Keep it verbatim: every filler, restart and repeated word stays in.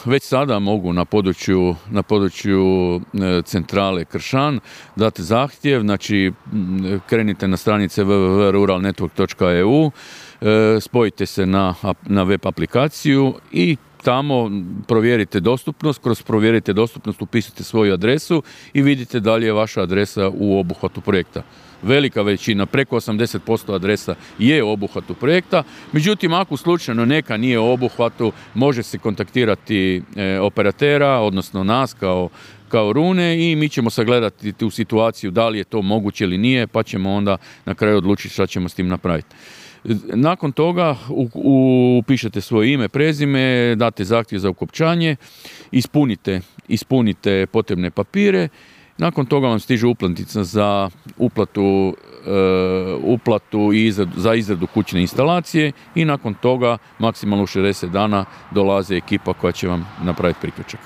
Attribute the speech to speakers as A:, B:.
A: već sada mogu na području, na području centrale Kršan dati zahtjev, znači krenite na stranice w w w točka rural network točka e u, spojite se na, na web aplikaciju i tamo provjerite dostupnost, kroz provjerite dostupnost upisite svoju adresu i vidite da li je vaša adresa u obuhvatu projekta. Velika većina, preko osamdeset posto adresa je u obuhvatu projekta, međutim ako slučajno neka nije u obuhvatu, može se kontaktirati e, operatera, odnosno nas kao, kao Rune i mi ćemo sagledati tu situaciju da li je to moguće ili nije, pa ćemo onda na kraju odlučiti šta ćemo s tim napraviti. Nakon toga upišete svoje ime, prezime, date zahtjev za ukopčanje, ispunite, ispunite potrebne papire, nakon toga vam stiže uplatnica za uplatu, e, uplatu i izradu, za izradu kućne instalacije i nakon toga maksimalno u šezdeset dana dolazi ekipa koja će vam napraviti priključak.